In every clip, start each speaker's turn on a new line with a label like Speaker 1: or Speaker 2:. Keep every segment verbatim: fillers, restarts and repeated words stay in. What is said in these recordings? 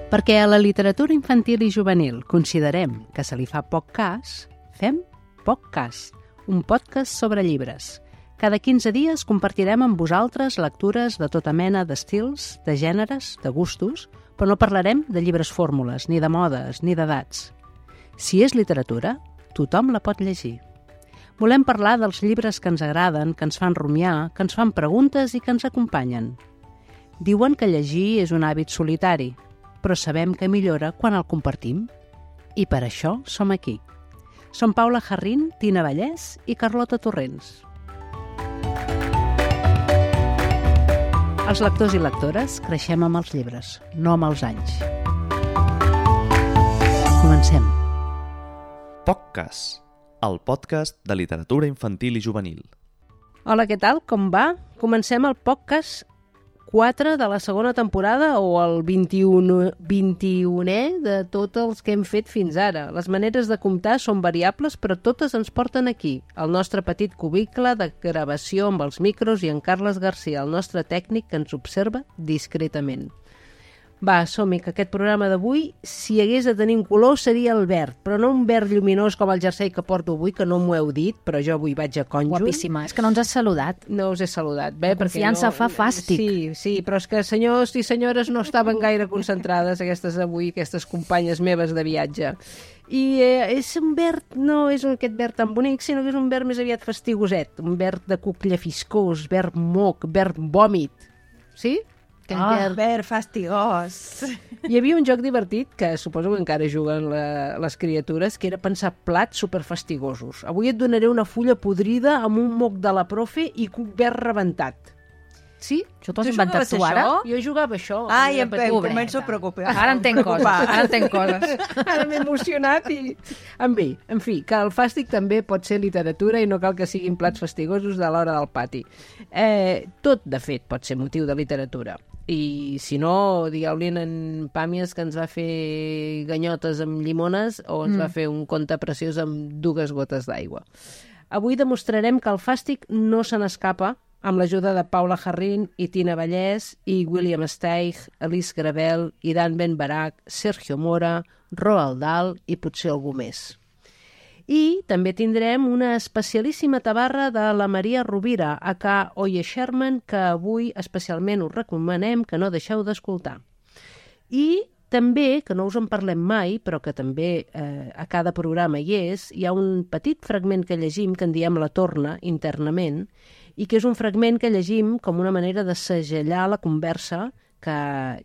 Speaker 1: Perquè a la literatura infantil i juvenil considerem que se li fa poc cas, fem poc cas, un podcast sobre llibres. Cada quinze dies compartirem amb vosaltres lectures de tota mena d'estils, de gèneres, de gustos, però no parlarem de llibres fórmules, ni de modes, ni d'edats. Si és literatura, tothom la pot llegir. Volem parlar dels llibres que ens agraden, que ens fan rumiar, que ens fan preguntes i que ens acompanyen. Diuen que llegir és un hàbit solitari, però sabem que millora quan el compartim. I per això som aquí. Som Paula Jarrín, Tina Vallès i Carlota Torrents. Els lectors i lectores creixem amb els llibres, no amb els anys. Comencem.
Speaker 2: POCcast, el podcast de literatura infantil i juvenil.
Speaker 1: Hola, què tal? Com va? Comencem el POCcast quatre de la segona temporada o el vint-i-unè de tots els que hem fet fins ara. Les maneres de comptar són variables, però totes ens porten aquí, al nostre petit cubicle de gravació amb els micros i en Carles Garcia, el nostre tècnic que ens observa discretament. Va, som-hi, que aquest programa d'avui, si hagués de tenir un color, seria el verd, però no un verd lluminós com el jersei que porto avui, que no m'ho heu dit, però jo avui vaig a conjunt.
Speaker 3: Guapíssima, és que no ens has saludat.
Speaker 1: No us he saludat, bé,
Speaker 3: La confiança
Speaker 1: no...
Speaker 3: fa fàstic.
Speaker 1: Sí, sí, però és que senyors i senyores no estaven gaire concentrades aquestes avui, aquestes companyes meves de viatge. I eh, és un verd, no és aquest verd tan bonic, sinó que és un verd més aviat fastigoset, un verd de cuc llefiscós, verd moc, verd vòmit. Sí?
Speaker 3: Ah, verd fastigós.
Speaker 1: Hi havia un joc divertit, que suposo que encara juguen la, les criatures, que era pensar plats superfastigosos. Avui et donaré una fulla podrida amb un moc de la profe i cuc verd rebentat. Sí?
Speaker 3: Això t'ho has inventat tu ara?
Speaker 1: Jo jugava això.
Speaker 3: Ai, em, em començo a preocupar. Ara entenc coses, ara entenc coses.
Speaker 1: Ara m'he emocionat i... En fi, en fi, que el fàstic també pot ser literatura i no cal que siguin plats fastigosos de l'hora del pati. Eh, tot, de fet, pot ser motiu de literatura. I si no, digueu-li en Pàmies que ens va fer ganyotes amb llimones o ens mm. va fer un conte preciós amb dues gotes d'aigua. Avui demostrarem que el fàstic no se n'escapa amb l'ajuda de Paula Jarrín i Tina Vallès i William Steig, Alice Gravel, Iran Ben Barak, Sergio Mora, Roald Dahl i potser algú més. I també tindrem una especialíssima tabarra de la Maria Rovira, aka Oye Sherman, que avui especialment us recomanem que no deixeu d'escoltar. I també, que no us en parlem mai, però que també eh, a cada programa hi és, hi ha un petit fragment que llegim, que en diem la torna internament, i que és un fragment que llegim com una manera de segellar la conversa que,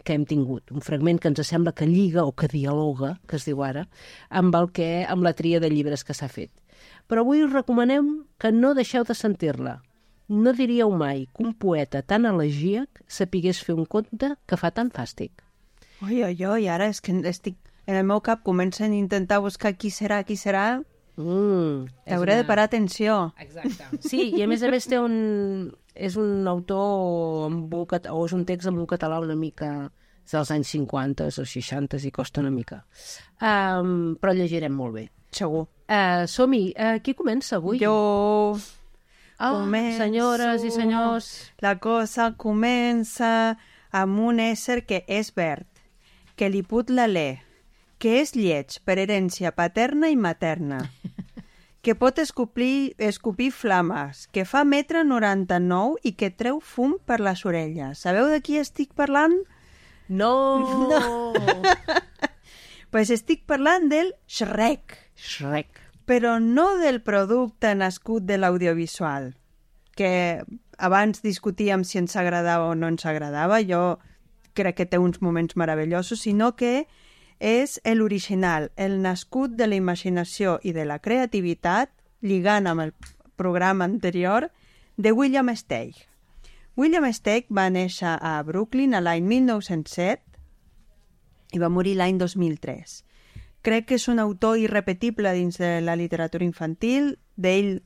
Speaker 1: que hem tingut. Un fragment que ens sembla que lliga o que dialoga, que es diu ara, amb, el que, amb la tria de llibres que s'ha fet. Però avui us recomanem que no deixeu de sentir-la. No diríeu mai que un poeta tan elegíac sapigués fer un conte que fa tan fàstic.
Speaker 4: Oi, oi, oi, ara és que estic... En el meu cap comencen a intentar buscar qui serà, qui serà...
Speaker 1: Mm,
Speaker 4: Hauré una... de parar atenció.
Speaker 1: Exacte. Sí, i a més a més té un... és un autor amb un cat... o és un text amb un català una mica dels anys cinquanta o seixanta i costa una mica. Um, però llegirem molt bé.
Speaker 4: Segur.
Speaker 1: Uh, som-hi. Uh, qui comença avui?
Speaker 4: Jo...
Speaker 1: Oh,
Speaker 4: començo...
Speaker 1: senyores i senyors.
Speaker 4: La cosa comença amb un ésser que és verd, que li put l'alè, que és lleig per herència paterna i materna, que pot escopir, escopir flames, que fa metre noranta-nou i que treu fum per les orelles. Sabeu de qui estic parlant?
Speaker 1: No!
Speaker 4: No! Pues estic parlant del Shrek.
Speaker 1: Shrek.
Speaker 4: Però no del producte nascut de l'audiovisual, que abans discutíem si ens agradava o no ens agradava, jo crec que té uns moments meravellosos, sinó que és l'original, el nascut de la imaginació i de la creativitat, lligant amb el programa anterior, de William Steig. William Steig va néixer a Brooklyn l'any mil nou-cents set i va morir l'any dos mil tres. Crec que és un autor irrepetible dins de la literatura infantil. D'ell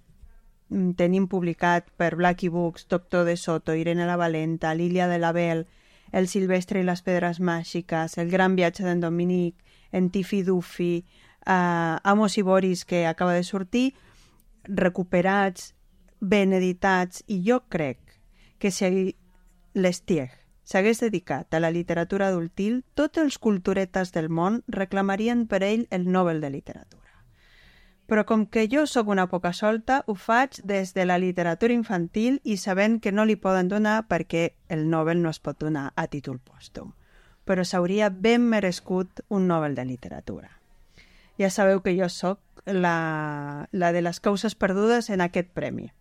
Speaker 4: tenim publicat per Blackie Books Doctor de Soto, Irene la Valenta, Lilia de la Belle, El Silvestre i les Pedres Màgiques, El gran viatge d'en Dominic, En Tiffy Duffy, uh, Amos i Boris, que acaba de sortir, recuperats, ben editats, i jo crec que si l'Estieg s'hagués dedicat a la literatura adultil, tots els culturetes del món reclamarien per ell el Nobel de Literatura. Però com que jo sóc una poca solta, ho faig des de la literatura infantil i sabent que no li poden donar perquè el Nobel no es pot donar a títol pòstum. Però s'hauria ben merescut un Nobel de Literatura. Ja sabeu que jo sóc la, la de les causes perdudes en aquest premi.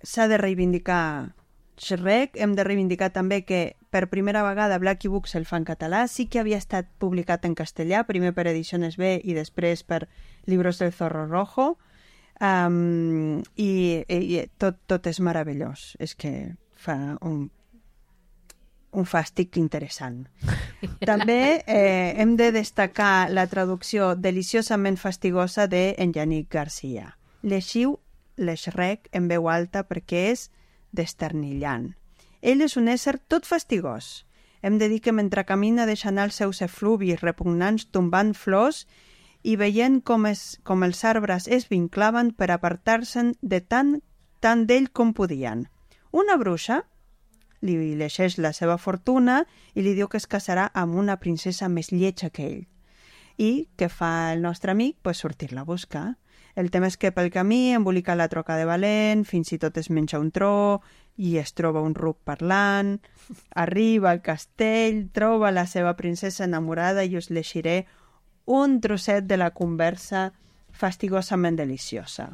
Speaker 4: S'ha de reivindicar Shrek, hem de reivindicar també que per primera vegada Blacky Books el fa en català, sí que havia estat publicat en castellà, primer per Ediciones B i després per Libros del Zorro Rojo, um, i, i tot, tot és meravellós, és que fa un, un fàstic interessant. També eh, hem de destacar la traducció deliciosament fastigosa de en Yannick Garcia. Llegiu l'Shrek en veu alta perquè és desternillant. Ell és un ésser tot fastigós. Hem de dir que mentre camina deixa anar els seus efluvis repugnants tombant flors i veient com, es, com els arbres es vinclaven per apartar-se'n de tant, tant d'ell com podien. Una bruixa li llegeix la seva fortuna i li diu que es casarà amb una princesa més lletja que ell. I què fa el nostre amic? Pues sortir-la a buscar. El tema és que pel camí embolica la troca de Valent, fins i tot es menja un tro i es troba un ruc parlant, arriba al castell, troba la seva princesa enamorada i us llegiré un trosset de la conversa fastigosament deliciosa.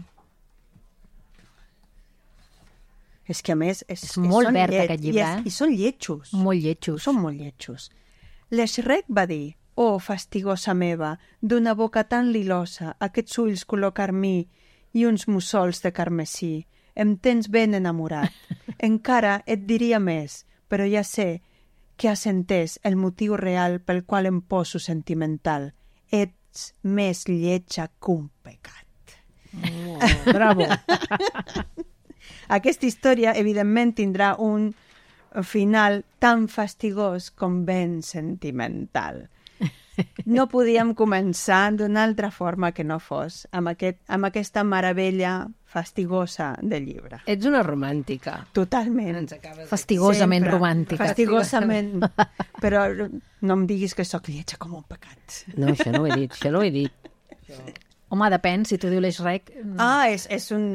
Speaker 4: És que a més... És,
Speaker 5: és molt
Speaker 4: són
Speaker 5: verd
Speaker 4: llet,
Speaker 5: aquest llibre,
Speaker 4: i, és,
Speaker 5: eh?
Speaker 4: I són lletjos.
Speaker 5: Molt lletjos.
Speaker 4: Són molt lletjos. L'Shrek va dir: «Oh, fastigosa meva, d'una boca tan lilosa, aquests ulls color carmí i uns mussols de carmesí, em tens ben enamorat. Encara et diria més, però ja sé que has entès el motiu real pel qual em poso sentimental. Ets més lletja que un pecat».
Speaker 1: Oh, bravo!
Speaker 4: Aquesta història, evidentment, tindrà un final tan fastigós com ben sentimental. No podíem començar d'una altra forma que no fos amb, aquest, amb aquesta meravella fastigosa del llibre.
Speaker 1: Ets una romàntica.
Speaker 4: Totalment.
Speaker 5: Fastigosament
Speaker 4: Sempre.
Speaker 5: romàntica.
Speaker 4: Fastigosament. Però no em diguis que sóc lletja com un pecat.
Speaker 1: No, això no ho he dit, això no ho he dit.
Speaker 5: Home, depèn, si tu diu l'Shrek...
Speaker 4: Ah, és, és un,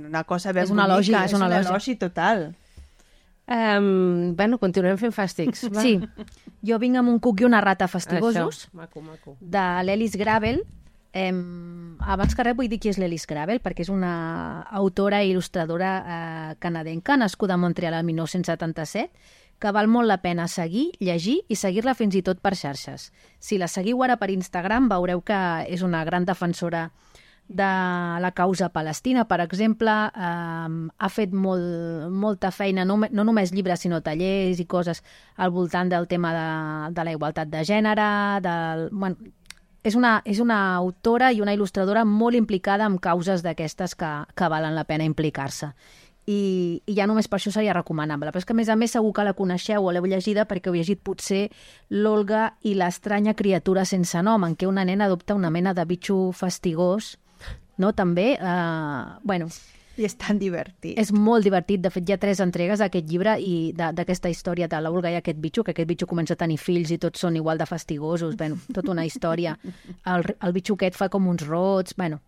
Speaker 4: una cosa ben
Speaker 5: és un elogi,
Speaker 4: bonica.
Speaker 5: és un elogi.
Speaker 4: elogi total.
Speaker 1: Um, bueno, continuem fent fàstics. Va.
Speaker 5: Sí, jo vinc amb un cuc i una rata fastigosos.
Speaker 1: Això, maco, maco.
Speaker 5: De l'Ellis Gravel. Eh, abans que res vull dir qui és l'Ellis Gravel, perquè és una autora i il·lustradora eh, canadenca, nascuda a Montreal el dinou setanta-set, que val molt la pena seguir, llegir i seguir-la fins i tot per xarxes. Si la seguiu ara per Instagram veureu que és una gran defensora de la causa palestina, per exemple. Eh, ha fet molt, molta feina, no, no només llibres, sinó tallers i coses al voltant del tema de, de la igualtat de gènere. Del, bueno, és, una, és una autora i una il·lustradora molt implicada en causes d'aquestes que, que valen la pena implicar-se. I, i ja només per això seria recomanable. Però és que, a més a més, segur que la coneixeu o l'heu llegida perquè heu llegit potser l'Olga i l'estranya criatura sense nom, en què una nena adopta una mena de bitxo fastigós, no? També, eh, bueno...
Speaker 4: I és tan divertit.
Speaker 5: És molt divertit. De fet, hi ha tres entregues d'aquest llibre i d'aquesta història de l'Olga i aquest bitxo, que aquest bitxo comença a tenir fills i tots són igual de fastigosos. Bueno, tota una història. El, el bitxo aquest fa com uns rots, bueno...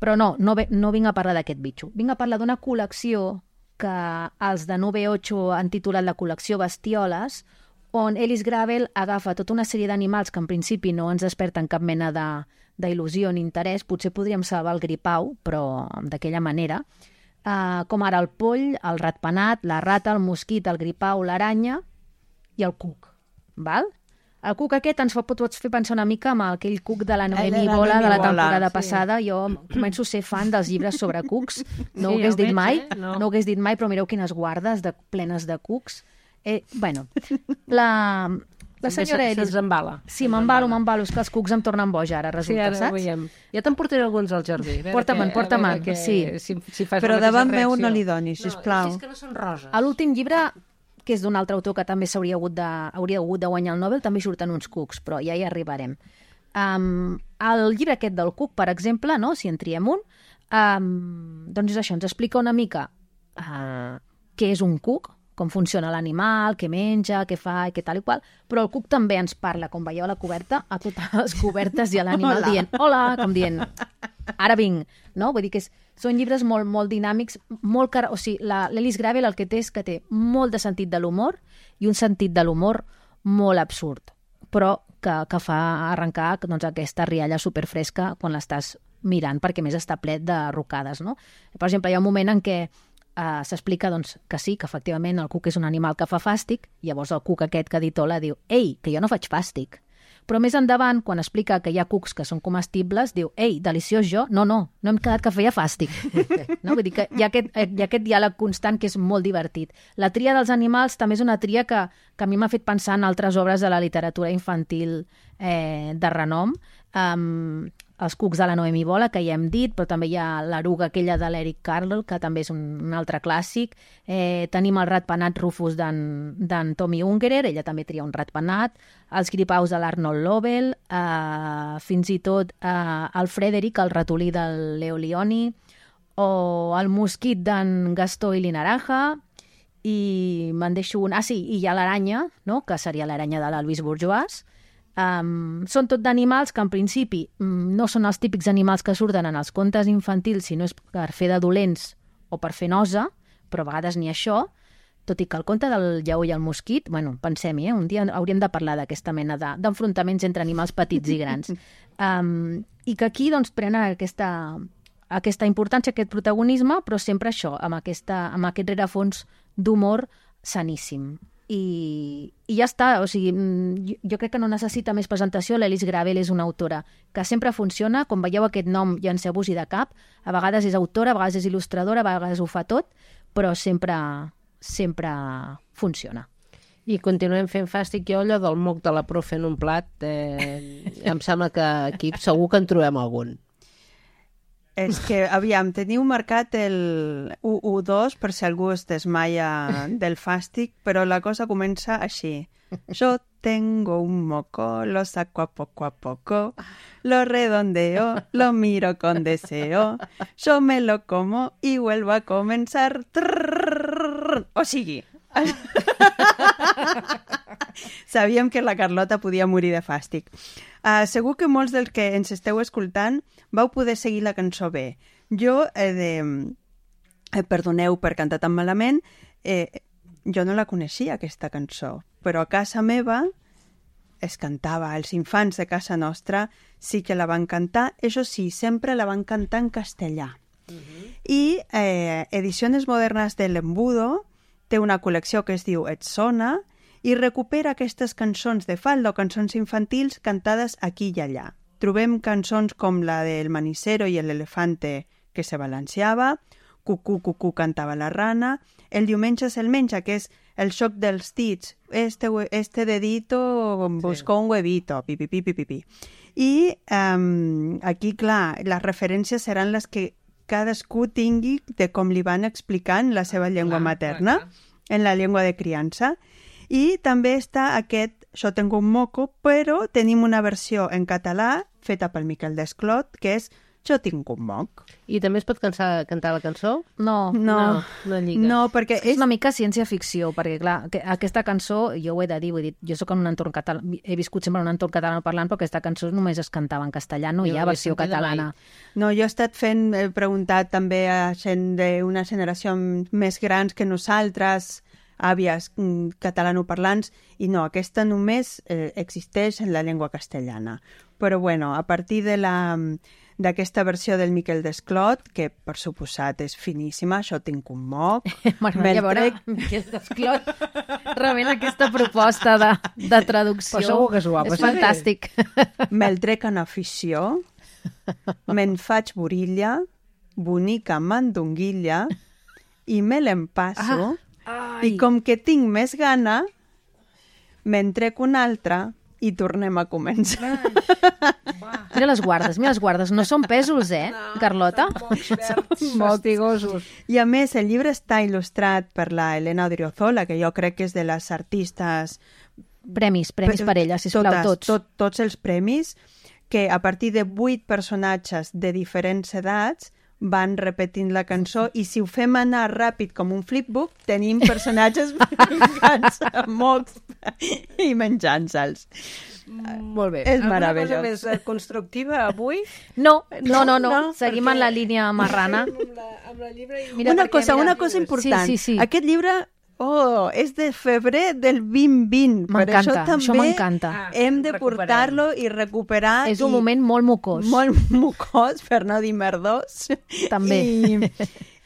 Speaker 5: Però no, no, ve, no vinc a parlar d'aquest bitxo. Vinc a parlar d'una col·lecció que els de nou ve ocho han titulat la col·lecció Bestioles, on Ellis Gravel agafa tota una sèrie d'animals que en principi no ens desperten cap mena de, d'il·lusió ni interès. Potser podríem salvar el gripau, però d'aquella manera. Uh, com ara el poll, el ratpenat, la rata, el mosquit, el gripau, l'aranya i el cuc. Val? El cuc aquest ens fa, pots fer pensar una mica amb aquell cuc de la Noemi Bola de la temporada sí. passada. Jo començo a ser fan dels llibres sobre cucs. No
Speaker 1: Sí,
Speaker 5: ho hagués
Speaker 1: ja ho
Speaker 5: dit
Speaker 1: veig,
Speaker 5: mai,
Speaker 1: eh? No.
Speaker 5: no ho hagués dit mai, però mireu quines guardes de, plenes de cucs. Eh, bueno, la, la senyora
Speaker 1: També
Speaker 5: Ellis...
Speaker 1: se'ns embala.
Speaker 5: Sí, m'embalo, m'embalo. És que els cucs em tornen boja ara,
Speaker 1: Sí,
Speaker 5: resulta,
Speaker 1: ara ho
Speaker 5: saps?
Speaker 1: veiem. Ja te'n portaré alguns al jardí. A veure
Speaker 5: Porta-me'n,
Speaker 1: què-
Speaker 5: porta-me'n,
Speaker 1: a veure què-
Speaker 5: sí.
Speaker 1: Si, si fas
Speaker 4: Però
Speaker 1: la mateixa
Speaker 4: davant meu
Speaker 1: reacció.
Speaker 4: no li donis, sisplau.
Speaker 1: No, és que no són roses.
Speaker 5: A l'últim llibre, que és d'un altre autor que també s'hauria hagut de, hauria hagut de guanyar el Nobel, també surten uns cucs, però ja hi arribarem. Um, el llibre aquest del cuc, per exemple, no? Si en triem un, um, doncs és això, ens explica una mica uh, què és un cuc, com funciona l'animal, què menja, què fa i què tal i qual, però el cuc també ens parla, com veieu a la coberta, a totes les cobertes i a l'animal dient hola, com dient ara vinc, no? Vull dir que és, són llibres molt, molt dinàmics, molt car... o sigui, l'Ellis Gravel el que té és que té molt de sentit de l'humor i un sentit de l'humor molt absurd, però que, que fa arrencar doncs, aquesta rialla superfresca quan l'estàs mirant, perquè més està ple de rocades, no? Per exemple, hi ha un moment en què uh, s'explica doncs, que sí, que efectivament el cuc és un animal que fa fàstic, llavors el cuc aquest que ha dit hola diu, ei, que jo no faig fàstic. Però més endavant, quan explica que hi ha cucs que són comestibles, diu, ei, deliciós jo? No, no, no hem quedat que feia fàstic. No? Vull dir que hi ha, aquest, hi ha aquest diàleg constant que és molt divertit. La tria dels animals també és una tria que, que a mi m'ha fet pensar en altres obres de la literatura infantil eh, de renom. Um, els cucs de la Noemi Bola, que ja hem dit, però també hi ha l'eruga aquella de l'Eric Carle, que també és un, un altre clàssic. Eh, tenim el ratpenat Rufus d'en Tommy Ungerer, ella també tria un ratpenat, els gripaus de l'Arnold Lobel, eh, fins i tot eh, el Frederic, el ratolí del Leo Lionni, o el mosquit d'en Gastó i Linaraja, i me'n deixo un... Ah, sí, i hi ha l'aranya, no?, que seria l'aranya de la Louise Bourgeois. Um, són tot d'animals que en principi um, no són els típics animals que surten en els contes infantils, sinó és per fer de dolents o per fer nosa, però a vegades ni això, tot i que el conte del lleó i el mosquit, bueno, pensem-hi, eh? Un dia hauríem de parlar d'aquesta mena d'enfrontaments entre animals petits i grans. Um, I que aquí doncs, prenen aquesta, aquesta importància, aquest protagonisme, però sempre això, amb, aquesta, amb aquest rerefons d'humor saníssim. I, i ja està, o sigui, jo, jo crec que no necessita més presentació. L'Ellis Gravel és una autora que sempre funciona, com veieu aquest nom llanceu-vos-hi de cap, a vegades és autora, a vegades és il·lustradora, a vegades ho fa tot, però sempre, sempre funciona.
Speaker 1: I continuem fent fàstic. Jo allò del moc de la profe en un plat, eh, em sembla que aquí segur que en trobem algun.
Speaker 4: És que, aviam, teniu marcat el u u dos per si algú es desmaia del fàstic, però la cosa comença així. Yo tengo un moco, lo saco a poco a poco, lo redondeo, lo miro con deseo, yo me lo como y vuelvo a comenzar. Trrr, o sigui... Sabíem que la Carlota podia morir de fàstic. Uh, segur que molts dels que ens esteu escoltant vau poder seguir la cançó bé. Jo, eh, de... eh, perdoneu per cantar tan malament, eh, jo no la coneixia, aquesta cançó, però a casa meva es cantava. Els infants de casa nostra sí que la van cantar, això sí, sempre la van cantar en castellà. Uh-huh. I eh, Ediciones Modernas de l'Embudo té una col·lecció que es diu Et sona i recupera aquestes cançons de falda o cançons infantils cantades aquí i allà. Trobem cançons com la del Manicero i l'elefante que se balanceava, Cucú, cucú, cantava la rana, El diumenge se'l menja, que és el xoc dels dits, este, este dedito buscó sí. un huevito, pipi, pipi, pipi. I um, aquí, clar, les referències seran les que cadascú tingui de com li van explicant la seva llengua clar, materna, clar, clar. En la llengua de criança. I també està aquest Yo tengo un moco, però tenim una versió en català feta pel Miquel Desclot, que és Jo tinc un moc.
Speaker 1: I també es pot cantar, cantar la cançó?
Speaker 5: No,
Speaker 4: no,
Speaker 5: no,
Speaker 1: no lliga.
Speaker 4: No, perquè
Speaker 5: és... és una mica ciència-ficció, perquè clar, que, aquesta cançó, jo ho he de dir, vull dir, jo soc en un entorn català, he viscut sempre en un entorn català parlant, però aquesta cançó només es cantava en castellà, no hi ha versió catalana.
Speaker 4: No, jo he estat fent, he preguntat també a gent d'una generació més grans que nosaltres, àvies catalanoparlants, i no, aquesta només eh, existeix en la llengua castellana. Però bueno, a partir de la... d'aquesta versió del Miquel Desclot, que per suposat és finíssima, Jo tinc un moc.
Speaker 5: M'agradaria veure trec... Miquel Desclot rebent aquesta proposta de, de traducció.
Speaker 1: Però segur que s'ho va
Speaker 5: és
Speaker 1: passar.
Speaker 5: Fantàstic.
Speaker 4: Me'l trec en afició, me'n faig borilla, bonica mandonguilla, i me l'empasso, ah, i com que tinc més gana, me'n trec una altra, i tornem a començar.
Speaker 5: Mira les guardes, mira les guardes. No són pèsols, eh, no, Carlota?
Speaker 1: Són molt tigosos.
Speaker 4: I a més, el llibre està il·lustrat per la Elena Odriozola, que jo crec que és de les artistes...
Speaker 5: Premis, premis per ella, sisplau,
Speaker 4: totes,
Speaker 5: tots.
Speaker 4: Tot, tots els premis, que a partir de vuit personatges de diferents edats van repetint la cançó i si ho fem anar ràpid com un flipbook, tenim personatges picants mocs i menjant-se'ls.
Speaker 1: Molt bé.
Speaker 4: És
Speaker 1: Alguna
Speaker 4: meravellós.
Speaker 1: cosa més eh, constructiva avui?
Speaker 5: No, no, no, no.
Speaker 1: No,
Speaker 5: seguim
Speaker 1: perquè-
Speaker 5: en la línia marrana.
Speaker 1: Amb la, amb la llibre i...
Speaker 5: Mira,
Speaker 4: una
Speaker 5: perquè,
Speaker 4: cosa,
Speaker 5: mira,
Speaker 4: una cosa important.
Speaker 5: Sí, sí, sí.
Speaker 4: Aquest llibre, oh, és de febrer del vint vint. Per això
Speaker 5: M'encanta, això
Speaker 4: també
Speaker 5: m'encanta.
Speaker 1: Ah,
Speaker 4: hem de
Speaker 1: recuperem.
Speaker 4: portar-lo i recuperar.
Speaker 5: És un
Speaker 4: i-
Speaker 5: moment molt mocós.
Speaker 4: molt mucós, per no dir merdós.
Speaker 5: També.
Speaker 4: I,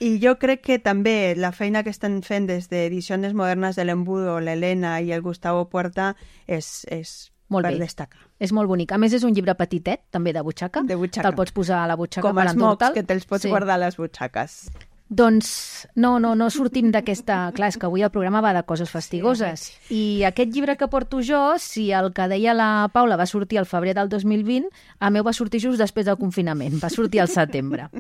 Speaker 4: I jo crec que també la feina que estan fent des d'Edicions Modernes de l'Embudo, l'Helena i el Gustavo Puerta és, és
Speaker 5: Molt
Speaker 4: per
Speaker 5: bé.
Speaker 4: destacar.
Speaker 5: És molt bonic. A més, és un llibre petitet, també de butxaca.
Speaker 4: De butxaca.
Speaker 5: Te'l pots posar a la butxaca
Speaker 4: Com
Speaker 5: per
Speaker 4: els mocs,
Speaker 5: endur-te'l.
Speaker 4: que te'ls pots
Speaker 5: Sí.
Speaker 4: guardar a les butxaques.
Speaker 5: Doncs no, no, no sortim d'aquesta... Clar, és que avui el programa va de coses fastigoses. I aquest llibre que porto jo, si el que deia la Paula va sortir al febrer del dos mil vint, el meu va sortir just després del confinament, va sortir al setembre.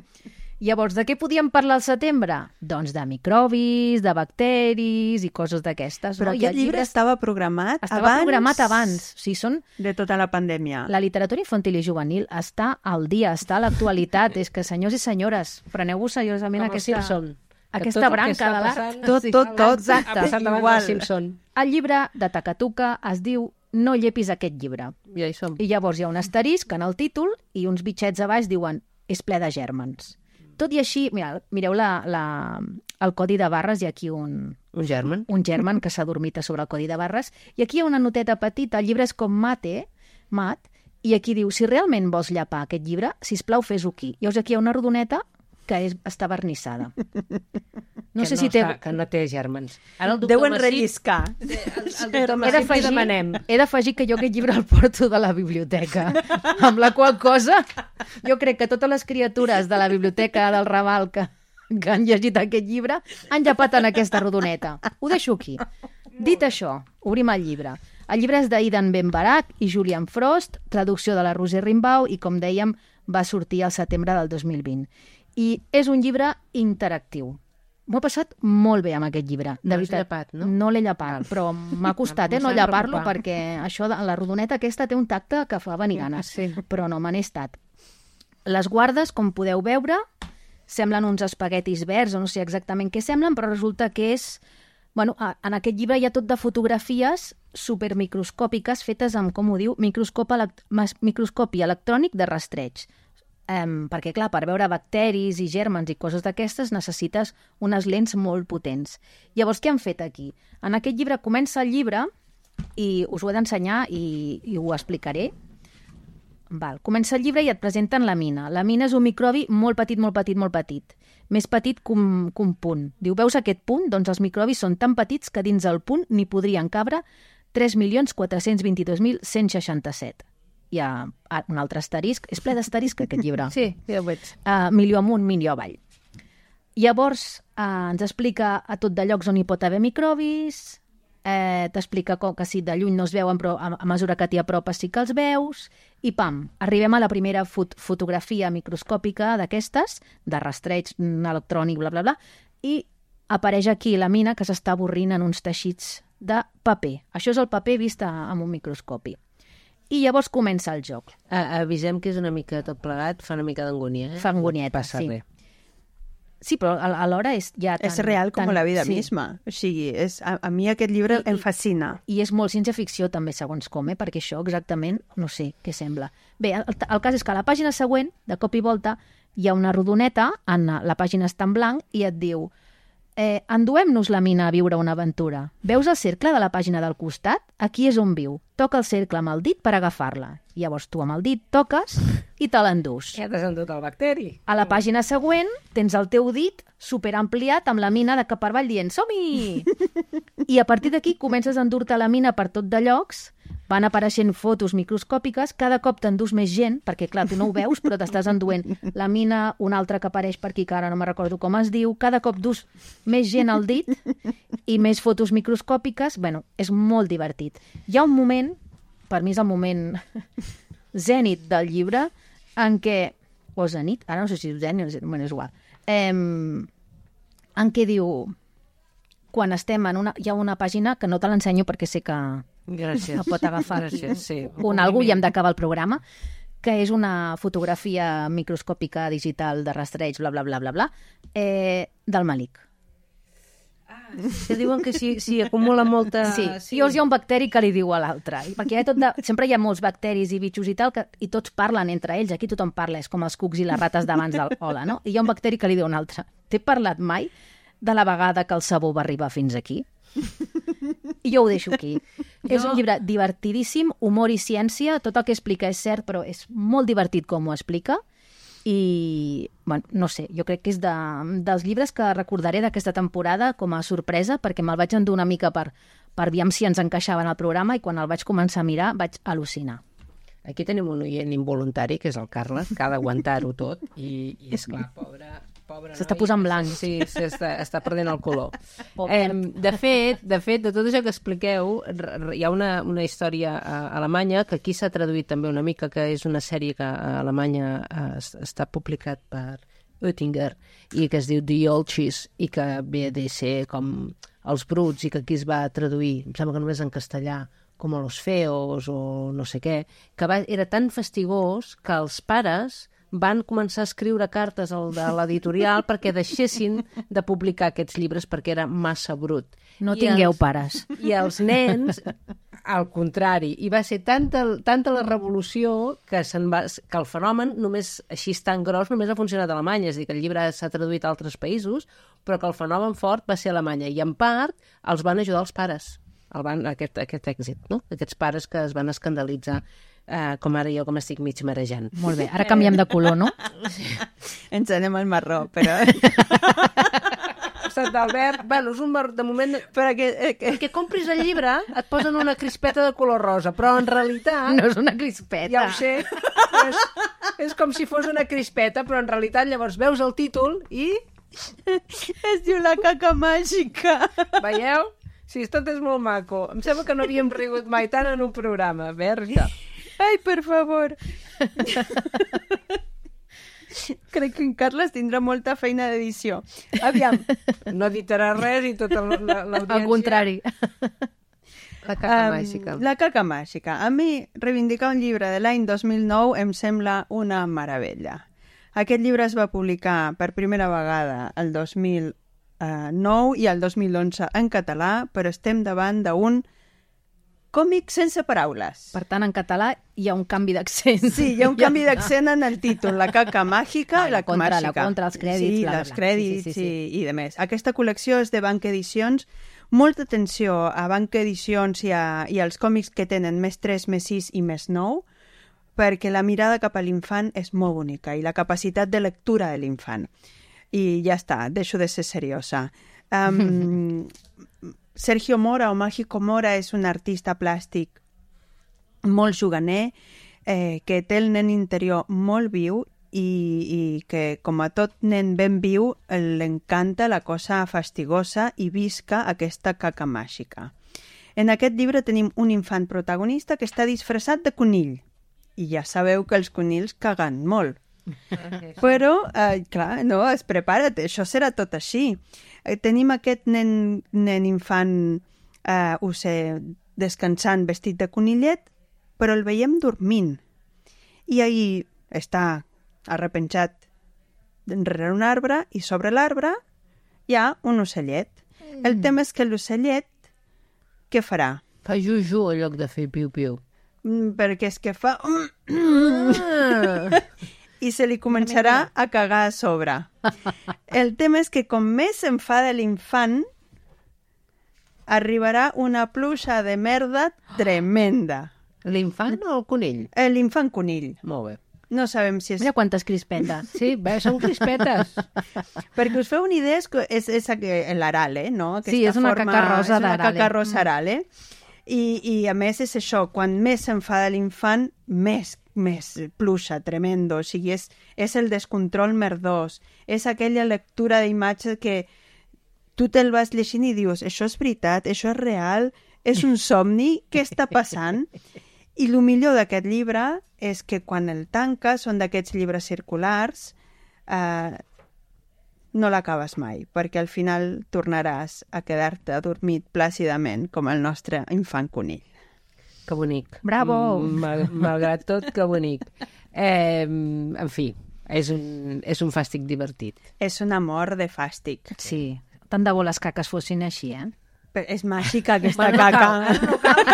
Speaker 5: Llavors, de què podíem parlar al setembre? Doncs de microbis, de bacteris i coses d'aquestes.
Speaker 4: Però
Speaker 5: no? I
Speaker 4: aquest
Speaker 5: el
Speaker 4: llibre estava programat
Speaker 5: estava
Speaker 4: abans
Speaker 5: programat abans. O sigui, són...
Speaker 4: de tota la pandèmia.
Speaker 5: La literatura infantil i juvenil està al dia, està a l'actualitat. És que, senyors i senyores, preneu-vos seriosament
Speaker 1: Com els
Speaker 5: aquesta...
Speaker 1: Simpson. Que
Speaker 5: aquesta
Speaker 1: tot el que
Speaker 5: branca
Speaker 1: està
Speaker 5: de l'art.
Speaker 1: passant-
Speaker 4: Tot, tot, tot.
Speaker 5: Exacte.
Speaker 1: Ha passat abans
Speaker 4: Igual.
Speaker 1: dels Simpson.
Speaker 5: El llibre de Takatuka es diu No llepis aquest llibre.
Speaker 1: Ja hi som.
Speaker 5: I llavors hi ha un asterisc en el títol i uns bitxets a baix diuen és ple de gèrmens. Tot i així, mira, mireu la, la, el codi de barres, hi ha aquí un,
Speaker 1: Un germen.
Speaker 5: un germen que s'ha dormit a sobre el codi de barres, i aquí hi ha una noteta petita, el llibre és com mate, mat, i aquí diu, si realment vols llepar aquest llibre, sisplau, fes-ho aquí. Llavors aquí hi ha una rodoneta que és, està vernissada. No
Speaker 1: que
Speaker 5: sé
Speaker 1: no
Speaker 5: si té...
Speaker 1: Està, que no té germens. Ara el doctor
Speaker 4: Deuen
Speaker 1: Masip-
Speaker 4: relliscar.
Speaker 1: El, el doctor
Speaker 5: He
Speaker 1: Masip li
Speaker 5: d'afegir
Speaker 1: demanem.
Speaker 5: he d'afegir que jo aquest llibre el porto de la biblioteca, amb la qual cosa jo crec que totes les criatures de la biblioteca del Raval que, que han llegit aquest llibre han llepat en aquesta rodoneta. Ho deixo aquí. Dit això, obrim el llibre. El llibre és d'Aidan Ben Barak i Julian Frost, traducció de la Roser Rimbaud i, com dèiem, va sortir al setembre del dos mil vint. I és un llibre interactiu. M'ho he passat molt bé amb aquest llibre. De
Speaker 1: No has
Speaker 5: veritat.
Speaker 1: llepat, no?
Speaker 5: No l'he llepat, però m'ha costat eh, no
Speaker 1: M'estava
Speaker 5: llepar-lo
Speaker 1: preocupant.
Speaker 5: perquè això de, la rodoneta aquesta té un tacte que fa venir ganes,
Speaker 1: Sí.
Speaker 5: però no me n'he estat. Les guardes, com podeu veure, semblen uns espaguetis verds, o no sé exactament què semblen, però resulta que és... Bueno, a- en aquest llibre hi ha tot de fotografies supermicroscòpiques fetes amb, com ho diu, microscop elect mas- microscopi electrònic de rastreig. Um, perquè, clar, per veure bacteris i gèrmens i coses d'aquestes necessites unes lents molt potents. Llavors, què han fet aquí? En aquest llibre comença el llibre i us ho he d'ensenyar i, i ho explicaré. Val. Comença el llibre i et presenten la mina. La mina és un microbi molt petit, molt petit, molt petit. Més petit que un, que un punt. Diu, veus aquest punt? Doncs els microbis són tan petits que dins el punt n'hi podrien cabre tres milions quatre-cents vint-i-dos mil cent seixanta-set. Hi ha un altre asterisc. És ple d'asterisc, aquest llibre.
Speaker 1: Sí, ja ho veig.
Speaker 5: Uh, milió amunt, milió avall. Llavors uh, ens explica a tot de llocs on hi pot haver microbis, eh, t'explica com que si de lluny no es veuen, però a, a mesura que t'hi apropes sí que els veus, i pam, arribem a la primera fot fotografia microscòpica d'aquestes, de rastreig electrònic, bla, bla, bla, i apareix aquí la mina que s'està avorrint en uns teixits de paper. Això és el paper vist a, amb un microscopi. I llavors comença el joc.
Speaker 1: A avisem que és una mica tot plegat, fa una mica d'angúnia, eh?
Speaker 5: Fa angonieta,
Speaker 1: Passa
Speaker 5: sí.
Speaker 1: res.
Speaker 5: Sí, però a- alhora és ja tan...
Speaker 4: És real com
Speaker 5: tan,
Speaker 4: la vida
Speaker 5: sí.
Speaker 4: misma. O sigui, és, a, a mi aquest llibre
Speaker 5: I-
Speaker 4: em
Speaker 5: i-
Speaker 4: fascina.
Speaker 5: I és molt ciència-ficció també, segons com, eh? Perquè això exactament no sé què sembla. Bé, el, el cas és que a la pàgina següent, de cop i volta, hi ha una rodoneta, en la pàgina està en blanc, i et diu eh, enduem-nos la mina a viure una aventura. Veus el cercle de la pàgina del costat? Aquí és on viu. Toca el cercle amb el dit per agafar-la. Llavors tu amb el dit toques i te l'endús.
Speaker 1: Ja t'has endut el bacteri.
Speaker 5: A la pàgina següent tens el teu dit superampliat amb la mina de cap per avall dient som-hi! I a partir d'aquí comences a endur-te la mina per tot de llocs, van apareixent fotos microscòpiques, cada cop t'endús més gent, perquè clar, tu no ho veus, però t'estàs enduent la mina, una altra que apareix per aquí, que ara no me recordo com es diu, cada cop dus més gent al dit i més fotos microscòpiques. Bueno, és molt divertit. Hi ha un moment, per mi és el moment zènit del llibre, en què, o zenit, ara no sé si és zènit o zenit, bueno, és igual, eh, en què diu, quan estem en una... Hi ha una pàgina que no te l'ensenyo perquè sé que
Speaker 1: Gràcies.
Speaker 5: no pot agafar
Speaker 1: Gràcies, sí.
Speaker 5: un algú i hem d'acabar el programa, que és una fotografia microscòpica digital de rastreig, bla, bla, bla, bla, bla, eh, del Malik.
Speaker 1: Que diuen que si, si acumula molta...
Speaker 5: Sí, sí, llavors hi ha un bacteri que li diu a l'altre. Perquè hi ha tot de... sempre hi ha molts bacteris i bitxos i tal, que... i tots parlen entre ells. Aquí tothom parla, és com els cucs i les rates d'abans del hola, no? I hi ha un bacteri que li diu a un altre. T'he parlat mai de la vegada que el sabó va arribar fins aquí? I jo ho deixo aquí. Jo... És un llibre divertidíssim, humor i ciència, tot el que explica és cert, però és molt divertit com ho explica. I, bueno, no sé, jo crec que és de, dels llibres que recordaré d'aquesta temporada com a sorpresa, perquè me'l vaig endur una mica per, per aviam si ens encaixava en el programa, i quan el vaig començar a mirar vaig al·lucinar.
Speaker 1: Aquí tenim un oient involuntari, que és el Carles, que ha d'aguantar-ho tot, i, i esclar, pobre...
Speaker 5: S'està posant blanc.
Speaker 1: Sí, s'està està perdent el color. Eh, de fet, de fet, de tot això que expliqueu, hi ha una, una història a Alemanya que aquí s'ha traduït també una mica, que és una sèrie que a Alemanya es, està publicat per Oettinger i que es diu The Old Cheese i que ve de ser com Els Bruts i que aquí es va traduir, em sembla que només en castellà, com a Los Feos o no sé què, que va, era tan fastigós que els pares van començar a escriure cartes al de l'editorial perquè deixessin de publicar aquests llibres perquè era massa brut.
Speaker 5: No
Speaker 1: I
Speaker 5: tingueu
Speaker 1: els,
Speaker 5: pares.
Speaker 1: I els nens, al contrari. I va ser tanta, tanta la revolució que, se'n va, que el fenomen només així tan gros només ha funcionat a Alemanya. És a dir, que el llibre s'ha traduït a altres països, però que el fenomen fort va ser a Alemanya. I en part els van ajudar els pares, el van, aquest, aquest èxit, no? Aquests pares que es van escandalitzar. Uh, com ara jo, com estic mig marejant.
Speaker 5: Molt bé, ara canviem de color, no?
Speaker 4: Ens anem al marró, però...
Speaker 1: Sant Albert, bueno, és un marró, de moment...
Speaker 4: Però que, eh, que...
Speaker 1: que compris el llibre, et posen una crispeta de color rosa, però en realitat...
Speaker 5: No és una crispeta.
Speaker 1: Ja ho sé, és, és com si fos una crispeta, però en realitat llavors veus el títol i...
Speaker 4: Es diu La caca màgica.
Speaker 1: Veieu? Sí, tot és molt maco. Em sembla que no havíem rigut mai tant en un programa. Verge.
Speaker 4: Ai, per favor. Crec que en Carles tindrà molta feina d'edició. Aviam.
Speaker 1: No editarà res i tota l'audiència...
Speaker 5: Al contrari.
Speaker 1: La caca um, màgica.
Speaker 4: La caca màgica. A mi, reivindicar un llibre de l'any dos mil nou em sembla una meravella. Aquest llibre es va publicar per primera vegada el dos mil nou i el dos mil onze en català, però estem davant d'un còmic sense paraules.
Speaker 5: Per tant, en català hi ha un canvi d'accent.
Speaker 4: Sí, hi ha un canvi d'accent en el títol, La caca màgica,
Speaker 5: la, la contra,
Speaker 4: màgica.
Speaker 5: La contra, els crèdits,
Speaker 4: sí,
Speaker 5: bla, bla,
Speaker 4: els
Speaker 5: bla.
Speaker 4: crèdits
Speaker 5: sí, sí, sí.
Speaker 4: I, i de més. Aquesta col·lecció és de Banc Edicions. Molta atenció a Banc Edicions i, a, i als còmics que tenen més tres, més sis i més nou, perquè la mirada cap a l'infant és molt bonica i la capacitat de lectura de l'infant. I ja està, deixo de ser seriosa. Um, Sergio Mora o Mágico Mora és un artista plàstic molt juganer, eh, que té el nen interior molt viu i, i que, com a tot nen ben viu, l'encanta la cosa fastigosa i visca aquesta caca màgica. En aquest llibre tenim un infant protagonista que està disfressat de conill. I ja sabeu que els conills caguen molt. Però, eh, clar, no, es prepara't, això serà tot així. Eh, tenim aquest nen, nen infant, eh, ho sé, descansant vestit de conillet, però el veiem dormint. I ahí està arrepenjat rere un arbre i sobre l'arbre hi ha un ocellet. Mm. El tema és que l'ocellet, què farà?
Speaker 1: Fa juju en lloc de fer piu-piu.
Speaker 4: Mm, perquè és que fa... I se li començarà a cagar a sobre. El tema és que com més s'enfada l'infant, arribarà una pluja de merda tremenda.
Speaker 1: L'infant o el conill?
Speaker 4: L'infant conill.
Speaker 1: Molt bé.
Speaker 4: No sabem si és...
Speaker 5: Mira quantes crispetes.
Speaker 1: Sí, bé, són crispetes.
Speaker 4: Perquè us feu una idea, és, és, és l'aral, eh? No? Aquesta
Speaker 5: sí, és una
Speaker 4: forma,
Speaker 5: caca rosa
Speaker 4: d'aral. És una caca rosa
Speaker 5: mm.
Speaker 4: aral, eh? I, I a més és això, quan més s'enfada l'infant, més, més pluja, tremendo. O sigui, és, és el descontrol merdós. És aquella lectura d'imatge que tu te'l vas llegint i dius, això és veritat, això és real, és un somni, què està passant? I el millor d'aquest llibre és que quan el tanques, són d'aquests llibres circulars, eh, no l'acabes mai, perquè al final tornaràs a quedar-te adormit plàcidament, com el nostre infant conill.
Speaker 1: Que bonic.
Speaker 5: Bravo!
Speaker 1: Mm, malgrat tot, que bonic. Eh, en fi, és un, és un fàstic divertit.
Speaker 4: És una mort de fàstic.
Speaker 5: Sí, tant de bo les caques fossin així, eh?
Speaker 4: Però és màgica aquesta
Speaker 1: Bueno, no
Speaker 4: caca.
Speaker 1: cal, no cal.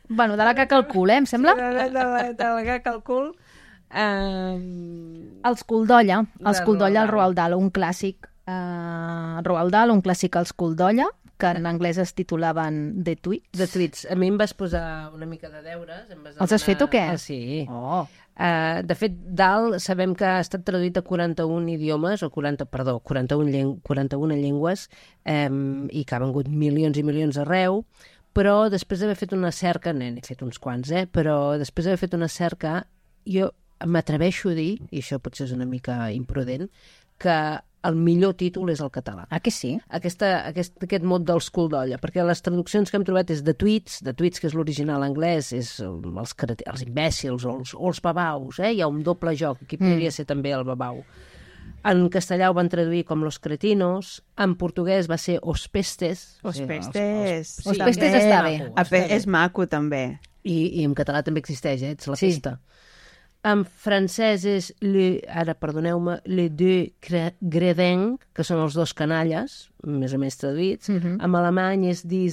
Speaker 5: Bueno, de la caca al cul, eh, em sembla?
Speaker 1: De, de, de, la, de la caca al cul. Um,
Speaker 5: Els cul d'olla, els
Speaker 1: De
Speaker 5: cul d'olla al
Speaker 1: Roald
Speaker 5: Roald Dahl, un clàssic uh, Roald Dahl, un clàssic als cul d'olla, que en anglès es titulaven The Tweets.
Speaker 1: de tweets. A mi em vas posar una mica de deures. Em vas
Speaker 5: Els has fet o què?
Speaker 1: Ah, sí.
Speaker 5: Oh,
Speaker 1: Uh, de fet, Dahl sabem que ha estat traduït a quaranta-un idiomes, o quaranta, perdó, quaranta-un, lleng quaranta-una llengües, um, i que ha vengut milions i milions arreu, però després d'haver fet una cerca, n'he fet uns quants, eh? Però després d'haver fet una cerca, jo m'atreveixo a dir, i això potser és una mica imprudent, que el millor títol és el català.
Speaker 5: ah, que sí?
Speaker 1: Aquesta, aquest, aquest mot dels cul d'olla, perquè les traduccions que hem trobat és de tweets, de tweets que és l'original anglès, és els, els imbècils o els, o els babaus, eh? Hi ha un doble joc, aquí podria mm. ser també el babau. En castellà ho van traduir com los cretinos, en portuguès va ser os pestes.
Speaker 4: Os
Speaker 1: Sí,
Speaker 4: pestes.
Speaker 1: els- els-
Speaker 5: Os
Speaker 1: sí,
Speaker 5: pestes
Speaker 1: també
Speaker 5: està
Speaker 1: és
Speaker 5: bé.
Speaker 1: maco,
Speaker 4: A
Speaker 1: està
Speaker 4: fe, és maco, també.
Speaker 1: I, I en català també existeix, eh? Ets la
Speaker 5: Sí.
Speaker 1: pesta. En francès és, le, ara perdoneu-me, les deux gredins, que són els dos canalles, més o menys traduïts.
Speaker 5: Mhm.
Speaker 1: En alemany és die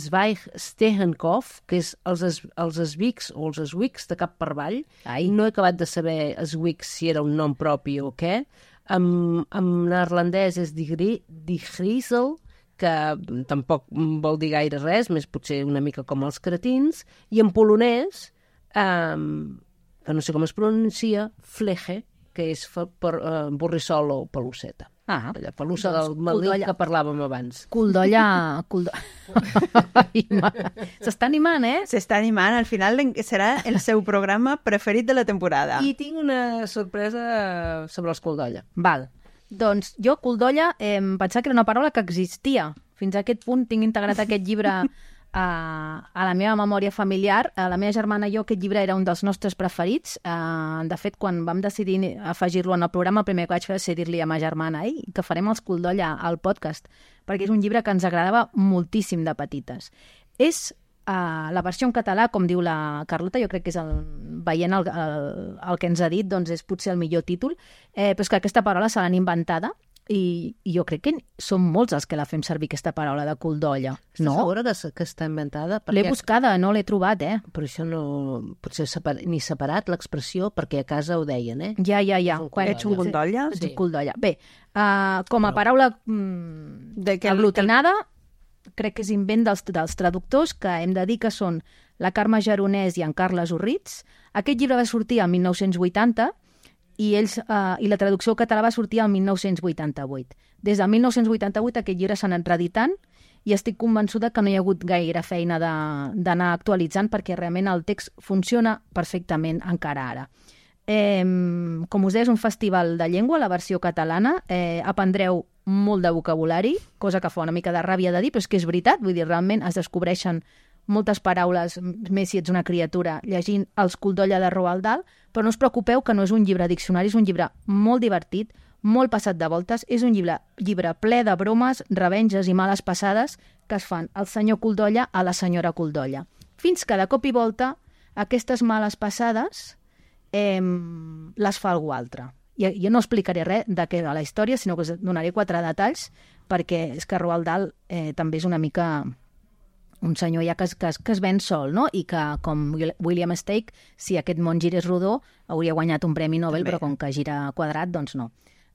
Speaker 1: Zweig-Stehenkopf, que és els, es, els esbics o els eswics de cap per avall.
Speaker 5: Ai.
Speaker 1: No he acabat de saber eswics si era un nom propi o què. En, en neerlandès és die, Gri- die Griezel, que tampoc vol dir gaire res, més potser una mica com els cretins. I en polonès, um, que no sé com es pronuncia, flege, que és fa, per, uh, borrissol o pelusseta.
Speaker 5: Ah,
Speaker 1: Aquella pelussa
Speaker 5: doncs,
Speaker 1: del
Speaker 5: cul
Speaker 1: maldit
Speaker 5: d'olla.
Speaker 1: que parlàvem abans.
Speaker 5: cul d'olla... Cul d'olla... Ai, ma- S'està animant, eh?
Speaker 4: S'està animant, al final serà el seu programa preferit de la temporada.
Speaker 1: I tinc una sorpresa sobre els cul d'olla.
Speaker 5: Val. Doncs jo, cul d'olla, eh, em pensava que era una paraula que existia. Fins a aquest punt tinc integrat aquest llibre a, a la meva memòria familiar. A la meva germana i jo aquest llibre era un dels nostres preferits. Uh, de fet, quan vam decidir afegir-lo en el programa, el primer que vaig fer va ser dir-li a ma germana Ei, que farem els cul d'olla al podcast, perquè és un llibre que ens agradava moltíssim de petites. És uh, la versió en català, com diu la Carlota, jo crec que és el, veient el, el, el que ens ha dit, doncs és potser el millor títol, eh, però és que aquesta paraula se l'han inventada i, i jo crec que som molts els que la fem servir, aquesta paraula de cul d'olla.
Speaker 1: Estàs
Speaker 5: No?
Speaker 1: segura que, que està inventada?
Speaker 5: L'he
Speaker 1: Perquè-
Speaker 5: buscada, no l'he trobat, eh?
Speaker 1: Però això no... Potser separ... ni separat l'expressió, perquè a casa ho deien, eh?
Speaker 5: Ja, ja, ja.
Speaker 1: És un
Speaker 5: Quan-
Speaker 1: cul
Speaker 4: Ets un cul d'olla?
Speaker 5: Ets
Speaker 1: Sí.
Speaker 5: un cul d'olla. Bé, uh, com a paraula mm,
Speaker 4: De què-
Speaker 5: aglutinada, crec que és invent dels, dels traductors, que hem de dir que són la Carme Geronès i en Carles Urritz. Aquest llibre va sortir el mil nou-cents vuitanta i, ells, uh, i la traducció al català va sortir el mil nou-cents vuitanta-vuit. Des del mil nou-cents vuitanta-vuit aquest llibre s'ha anat reeditant i estic convençuda que no hi ha hagut gaire feina de- d'anar actualitzant perquè realment el text funciona perfectament encara ara. Eh, com us deia, és un festival de llengua, la versió catalana. Eh, aprendreu molt de vocabulari, cosa que fa una mica de ràbia de dir, però és que és veritat, vull dir, realment es descobreixen moltes paraules, més si ets una criatura, llegint Els cul d'olla de Roald Dahl, però no us preocupeu que no és un llibre diccionari, és un llibre molt divertit, molt passat de voltes, és un llibre, llibre ple de bromes, revenges i males passades que es fan al senyor cul d'olla a la senyora cul d'olla. Fins que de cop i volta aquestes males passades eh, les fa algú altre. Jo, jo no explicaré res de què va la història, sinó que us donaré quatre detalls, perquè és que Roald Dahl eh, també és una mica un senyor ja que es, que, es, que es ven sol, no? I que, com William Stake, si aquest món girés rodó, hauria guanyat un premi Nobel,
Speaker 4: També.
Speaker 5: però com que gira quadrat, doncs no.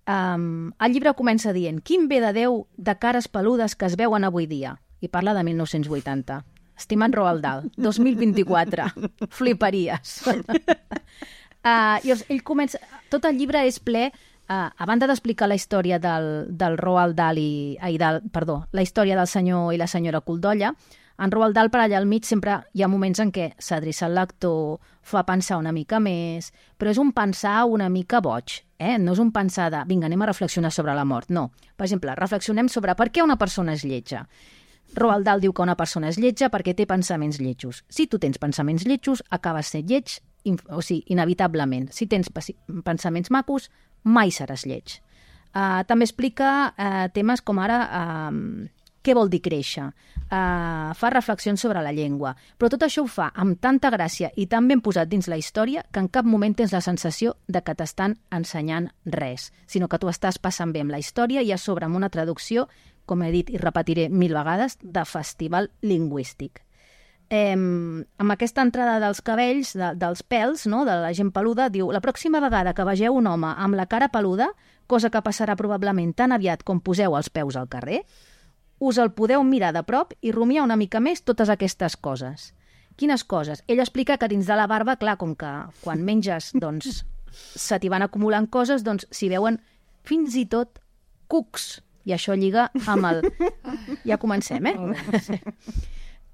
Speaker 5: Um, el llibre comença dient quin bé de Déu de cares peludes que es veuen avui dia. I parla de mil nou-cents vuitanta. Estimat Roald Dahl, dos mil vint-i-quatre. Fliparies. uh, I ell comença... Tot el llibre és ple... Uh, a banda d'explicar la història del, del Roald Dahl i... Ai, del, perdó, la història del senyor i la senyora cul d'olla, en Roald Dahl per allà al mig sempre hi ha moments en què s'adreça al lector, fa pensar una mica més, però és un pensar una mica boig, eh? No és un pensar de, vinga, anem a reflexionar sobre la mort, no. Per exemple, reflexionem sobre per què una persona és lletja. Roald Dahl diu que una persona és lletja perquè té pensaments lletjos. Si tu tens pensaments lletjos, acabes sent lleig, o sigui, inevitablement. Si tens pensaments macos, mai seràs lleig. Uh, també explica uh, temes com ara uh, què vol dir créixer, uh, fa reflexions sobre la llengua, però tot això ho fa amb tanta gràcia i tan ben posat dins la història que en cap moment tens la sensació de que t'estan ensenyant res, sinó que tu estàs passant bé amb la història i a sobre amb una traducció, com he dit i repetiré mil vegades, de festival lingüístic. Eh, amb aquesta entrada dels cabells, de, dels pèls, no?, de la gent peluda, diu: la pròxima vegada que vegeu un home amb la cara peluda, cosa que passarà probablement tan aviat com poseu els peus al carrer, us el podeu mirar de prop i rumiar una mica més totes aquestes coses. Quines coses? Ell explica que dins de la barba, clar, com que quan menges doncs, se t'hi van acumulant coses, doncs s'hi veuen fins i tot cucs. I això lliga amb el... Ja comencem, eh?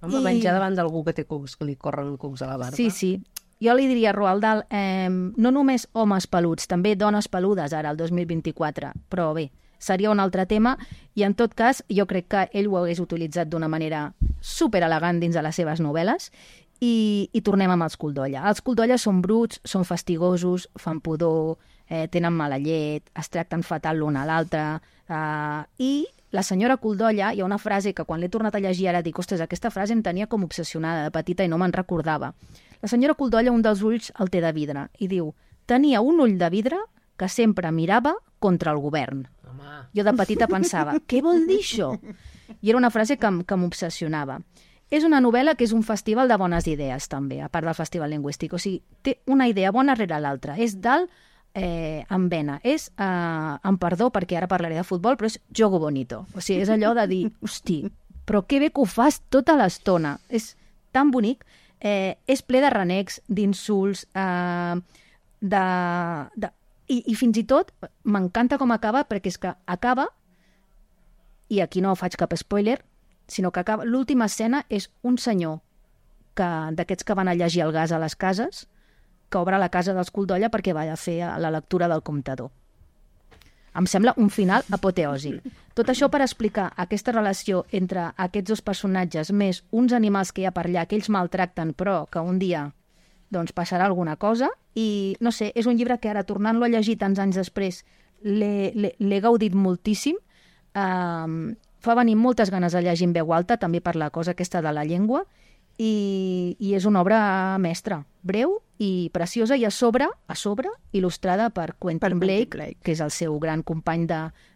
Speaker 1: Home, I... menjar davant d'algú que té cucs, que li corren cucs a la barba.
Speaker 5: Sí, sí. Jo li diria a Roald Dahl, eh, no només homes peluts, també dones peludes ara, el dos mil vint-i-quatre, però bé, seria un altre tema, i en tot cas jo crec que ell ho hagués utilitzat d'una manera superelegant dins de les seves novel·les, i, i tornem amb els Culdolla. Els Culdolla són bruts, són fastigosos, fan pudor, eh, tenen mala llet, es tracten fatal l'un a l'altre, eh, i la senyora Culdolla, hi ha una frase que quan l'he tornat a llegir ara dic, ostres, aquesta frase em tenia com obsessionada de petita i no me'n recordava. La senyora Culdolla, un dels ulls el té de vidre, i diu: tenia un ull de vidre que sempre mirava contra el govern. Home. Jo de petita pensava, què vol dir això? I era una frase que, que m'obsessionava. És una novel·la que és un festival de bones idees, també, a part del festival lingüístic. O sigui, té una idea bona rere l'altra. És dalt eh, amb vena. És, eh, amb perdó, perquè ara parlaré de futbol, però és jogo bonito. O sigui, és allò de dir, hosti, però que bé que ho fas tota l'estona. És tan bonic. Eh, és ple de renecs, d'insults, eh, de... de i, i fins i tot m'encanta com acaba, perquè és que acaba, i aquí no faig cap spoiler, sinó que acaba, l'última escena és un senyor que d'aquests que van a llegir el gas a les cases, que obre la casa dels Culdolla perquè va a fer la lectura del comptador. Em sembla un final apoteòsic. Tot això per explicar aquesta relació entre aquests dos personatges més uns animals que hi ha per allà, que ells maltracten, però que un dia doncs, passarà alguna cosa. I, no sé, és un llibre que ara, tornant-lo a llegir tants anys després, l'he gaudit moltíssim. Um, fa venir moltes ganes de llegir en veu alta, també per la cosa aquesta de la llengua, i, i és una obra mestra, breu i preciosa, i a sobre, a sobre il·lustrada per Quentin per Blake, Blake, que és el seu gran company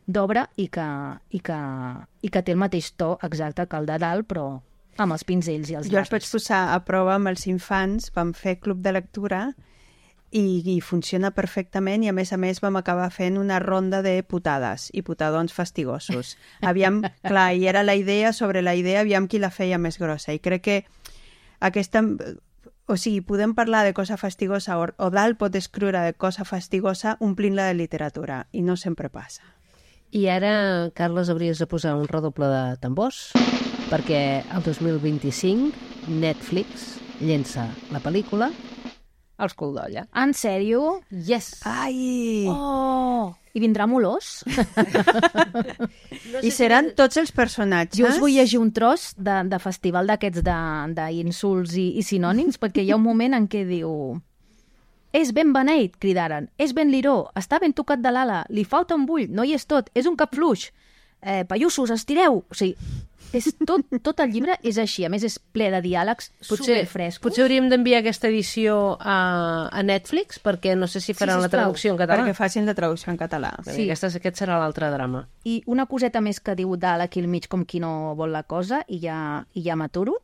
Speaker 5: d'obra i, que, i, que, i que té el mateix to exacte que el de Dahl, però amb els pinzells i els
Speaker 4: Jo els vaig posar a prova amb els infants, vam fer club de lectura i, i funciona perfectament, i a més a més vam acabar fent una ronda de putades i putadons fastigosos. Aviam, clar, i era la idea sobre la idea, aviam qui la feia més grossa, i crec que aquesta... O sigui, podem parlar de cosa fastigosa, o, o Dahl pot escriure de cosa fastigosa omplint-la de literatura, i no sempre passa.
Speaker 1: I ara, Carles, hauries de posar un redoble de tambors, perquè el dos mil vint-i-cinc Netflix llença la pel·lícula Els Culdolla.
Speaker 5: En sèrio?
Speaker 1: Yes!
Speaker 5: Ai! Oh! I vindrà Molós?
Speaker 4: No I seran si... tots els personatges?
Speaker 5: Jo us vull llegir un tros de, de festival d'aquests d'insults i, i sinònims, perquè hi ha un moment en què diu: és ben beneit, cridaren, és ben liró, està ben tocat de l'ala, li falta un bull, no hi és tot, és un cap fluix, eh, paiussos, estireu! O sigui, és tot, tot el llibre és així, a més és ple de diàlegs superfrescos.
Speaker 1: Potser hauríem d'enviar aquesta edició a, a Netflix, perquè no sé si faran sí, la traducció en català.
Speaker 4: Perquè facin la traducció en català.
Speaker 1: Sí. Aquesta, aquest serà l'altre drama.
Speaker 5: I una coseta més que diu Dahl aquí al mig, com qui no vol la cosa, i ja, i ja m'aturo,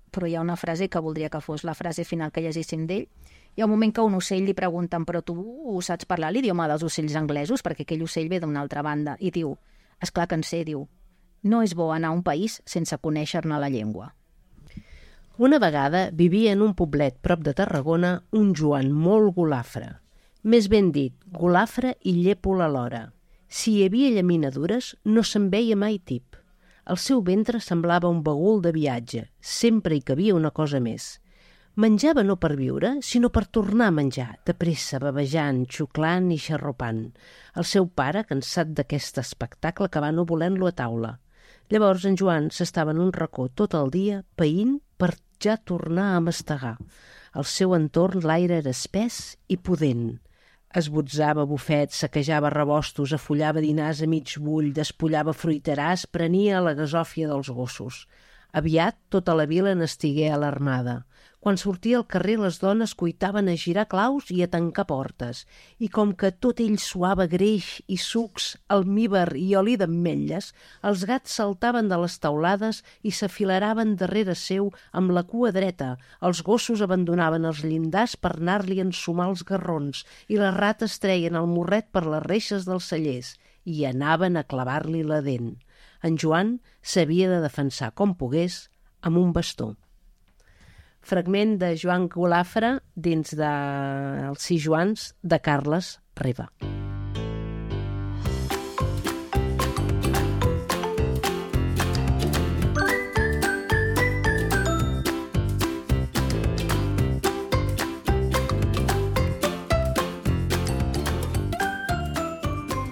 Speaker 5: però hi ha una frase que voldria que fos la frase final que llegíssim d'ell. Hi ha un moment que un ocell li pregunten: però tu saps parlar l'idioma dels ocells anglesos? Perquè aquell ocell ve d'una altra banda. I diu: esclar que en sé, diu, no és bo anar a un país sense conèixer-ne la llengua.
Speaker 1: Una vegada vivia en un poblet prop de Tarragona un Joan molt golafre. Més ben dit, golafre i llépol alhora. Si hi havia llaminadures, no se'n veia mai tip. El seu ventre semblava un bagul de viatge, sempre hi cabia una cosa més. Menjava no per viure, sinó per tornar a menjar, de pressa, bavejant, xuclant i xarrupant. El seu pare, cansat d'aquest espectacle, acabà no volent-lo a taula. Llavors en Joan s'estava en un racó tot el dia, païnt per ja tornar a mastegar. Al seu entorn l'aire era espès i pudent. esbotzava bufets, saquejava rebostos, afollava dinars a mig bull, despullava fruiteràs, prenia la gasòfia dels gossos. Aviat tota la vila n'estigué alarmada. Quan sortia al carrer les dones cuitaven a girar claus i a tancar portes, i com que tot ell suava greix i sucs, almívar i oli d'ametlles, els gats saltaven de les taulades i s'afileraven darrere seu amb la cua dreta, els gossos abandonaven els llindars per anar-li a ensumar els garrons i les rates treien el morret per les reixes dels cellers i anaven a clavar-li la dent. En Joan s'havia de defensar com pogués amb un bastó. Fragment de Joan Golafre dins de Els sis Joans de Carles Riba.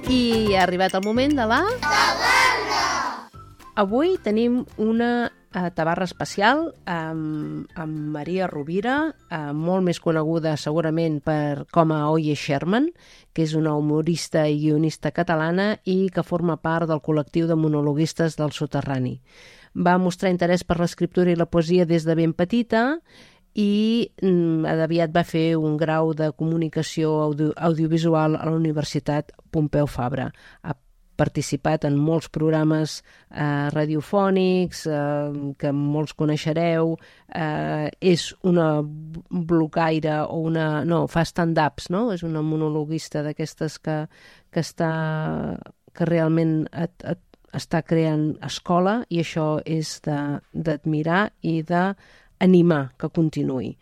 Speaker 1: I ha arribat el moment de la... Tabarra! Avui tenim una eh, tabarra especial amb, amb Maria Rovira, eh, molt més coneguda segurament per, com a Oye Sherman, que és una humorista i guionista catalana i que forma part del col·lectiu de monologuistes del Soterrani. Va mostrar interès per l'escriptura i la poesia des de ben petita i mm, aviat va fer un grau de comunicació audio, audiovisual a la Universitat Pompeu Fabra. Ha participat en molts programes eh, radiofònics eh, que molts coneixereu, eh, és una blogaire o una... no, fa stand-ups, no? És una monologuista d'aquestes que, que està que realment et, et, està creant escola i això és d'admirar i d'animar que continuï.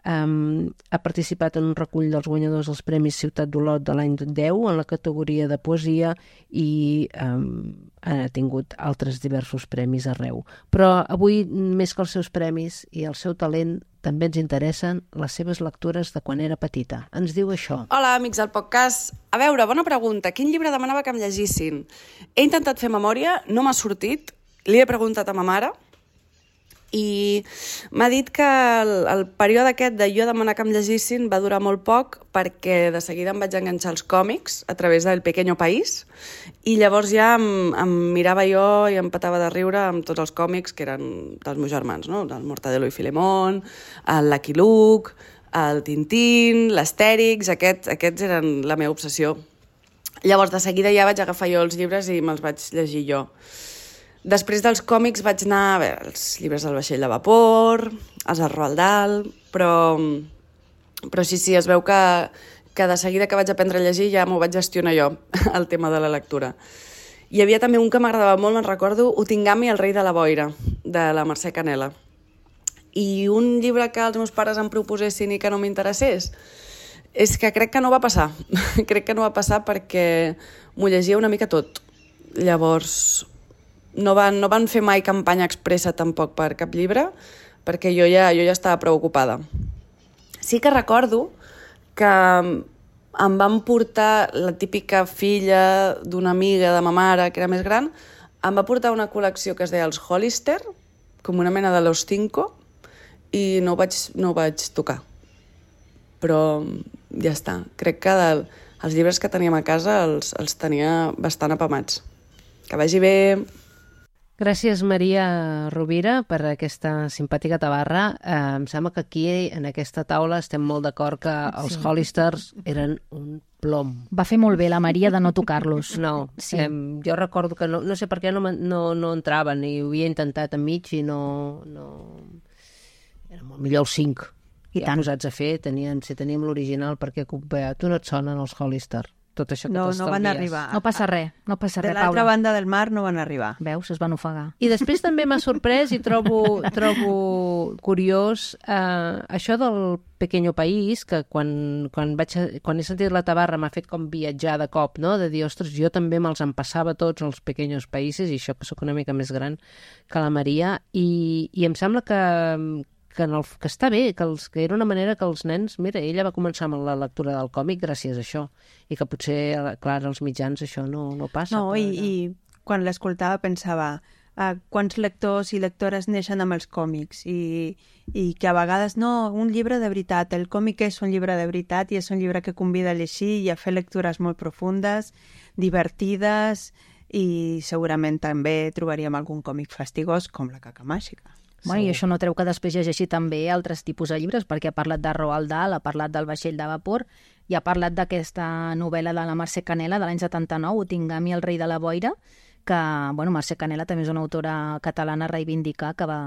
Speaker 1: Um, ha participat en un recull dels guanyadors dels Premis Ciutat d'Olot de l'any deu en la categoria de poesia i um, ha tingut altres diversos premis arreu. Però avui, més que els seus premis i el seu talent, també ens interessen les seves lectures de quan era petita. Ens diu això.
Speaker 6: Hola, amics del podcast. A veure, bona pregunta. Quin llibre demanava que em llegissin? He intentat fer memòria, no m'ha sortit. Li he preguntat a ma mare i m'ha dit que el, el període aquest de jo demanar que em llegissin va durar molt poc perquè de seguida em vaig enganxar als còmics a través del Pequeño País i llavors ja em, em mirava jo i em petava de riure amb tots els còmics que eren dels meus germans, no? El Mortadelo i Filemón, el Lucky Luke, el Tintín, l'Astèrix, aquests, aquests eren la meva obsessió. Llavors de seguida ja vaig agafar jo els llibres i me'ls vaig llegir jo. Després dels còmics vaig anar a veure els llibres del Vaixell de Vapor, els del Roald Dahl, però, però sí, sí, es veu que, que de seguida que vaig aprendre a llegir ja m'ho vaig gestionar jo, el tema de la lectura. Hi havia també un que m'agradava molt, me'n recordo, Utingami, el rei de la boira, de la Mercè Canela. I un llibre que els meus pares em proposessin i que no m'interessés, és que crec que no va passar. crec que no va passar perquè m'ho llegia una mica tot. Llavors... No van, no van fer mai campanya expressa tampoc per cap llibre, perquè jo ja, jo ja estava preocupada. Sí que recordo que em van portar la típica filla d'una amiga de ma mare, que era més gran, em va portar una col·lecció que es deia els Hollister, com una mena de Los Cinco, i no ho vaig, no ho vaig tocar. Però ja està. Crec que del, els llibres que teníem a casa els, els tenia bastant apamats. Que vagi bé...
Speaker 1: Gràcies, Maria Rovira, per aquesta simpàtica tabarra. Eh, em sembla que aquí, en aquesta taula, estem molt d'acord que els sí. Hollisters eren un plom.
Speaker 5: Va fer molt bé la Maria de no tocar-los.
Speaker 1: No,
Speaker 5: sí.
Speaker 1: eh, jo recordo que no, no sé per què no, no, no entraven i ho havia intentat enmig i no... no... Era molt millor els cinc. I ja tant. Posats a fer, tenien, si teníem l'original, perquè tu no et sonen els Hollister. Tot això que
Speaker 4: no, no van arribar.
Speaker 5: No passa res, no passa res,
Speaker 4: Paula. De l'altra banda del mar no van arribar.
Speaker 5: Veus, es van ofegar.
Speaker 1: I després també m'ha sorprès i trobo, trobo curiós eh, això del Pequeño País, que quan, quan, vaig, quan he sentit la tabarra m'ha fet com viatjar de cop, no? De dir, ostres, jo també me'ls empassava tots els Pequeños Países, i això que sóc una mica més gran que la Maria, i, i em sembla que... Que, en el, que està bé, que, els, que era una manera que els nens... Mira, ella va començar amb la lectura del còmic gràcies a això, i que potser, clar, als mitjans això no, no passa.
Speaker 4: No, i, i quan l'escoltava pensava uh, quants lectors i lectores neixen amb els còmics i, i que a vegades no, un llibre de veritat, el còmic és un llibre de veritat i és un llibre que convida a llegir i a fer lectures molt profundes, divertides i segurament també trobaríem algun còmic fastigós com La caca màgica.
Speaker 5: Bueno, i això no treu que després llegeixi també altres tipus de llibres, perquè ha parlat de Roald Dahl, ha parlat del vaixell de vapor i ha parlat d'aquesta novel·la de la Mercè Canela de l'any setanta-nou, Otingami, el rei de la boira, que, bueno, Mercè Canela també és una autora catalana a reivindicar que va,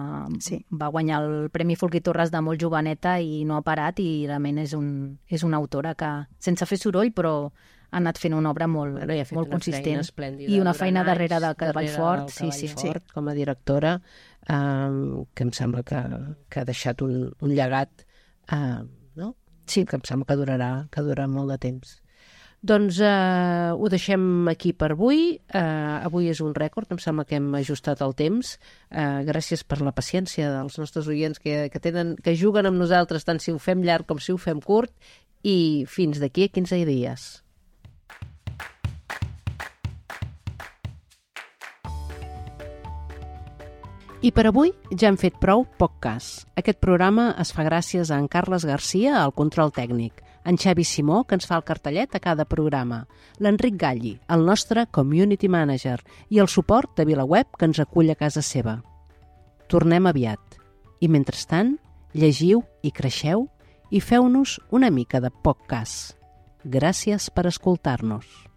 Speaker 5: sí. va guanyar el Premi Folguí Torres de molt joveneta i no ha parat i realment és, un, és una autora que, sense fer soroll, però ha anat fent una obra molt, bueno, molt una consistent i una feina darrere del Cavall Fort, sí, sí.
Speaker 1: Fort, com a directora, um, que em sembla que, que ha deixat un, un llegat uh, no? Sí. que em sembla que durarà, que durarà molt de temps. Doncs uh, ho deixem aquí per avui. Uh, avui és un rècord, em sembla que hem ajustat el temps. Uh, gràcies per la paciència dels nostres oients que, que, tenen, que juguen amb nosaltres tant si ho fem llarg com si ho fem curt i fins d'aquí a quinze dies. I per avui ja hem fet prou poc cas. Aquest programa es fa gràcies a en Carles Garcia, al control tècnic, en Xavi Simó, que ens fa el cartellet a cada programa, l'Enric Galli, el nostre community manager, i el suport de VilaWeb, que ens acull a casa seva. Tornem aviat. I mentrestant, llegiu i creixeu i feu-nos una mica de poc cas. Gràcies per escoltar-nos.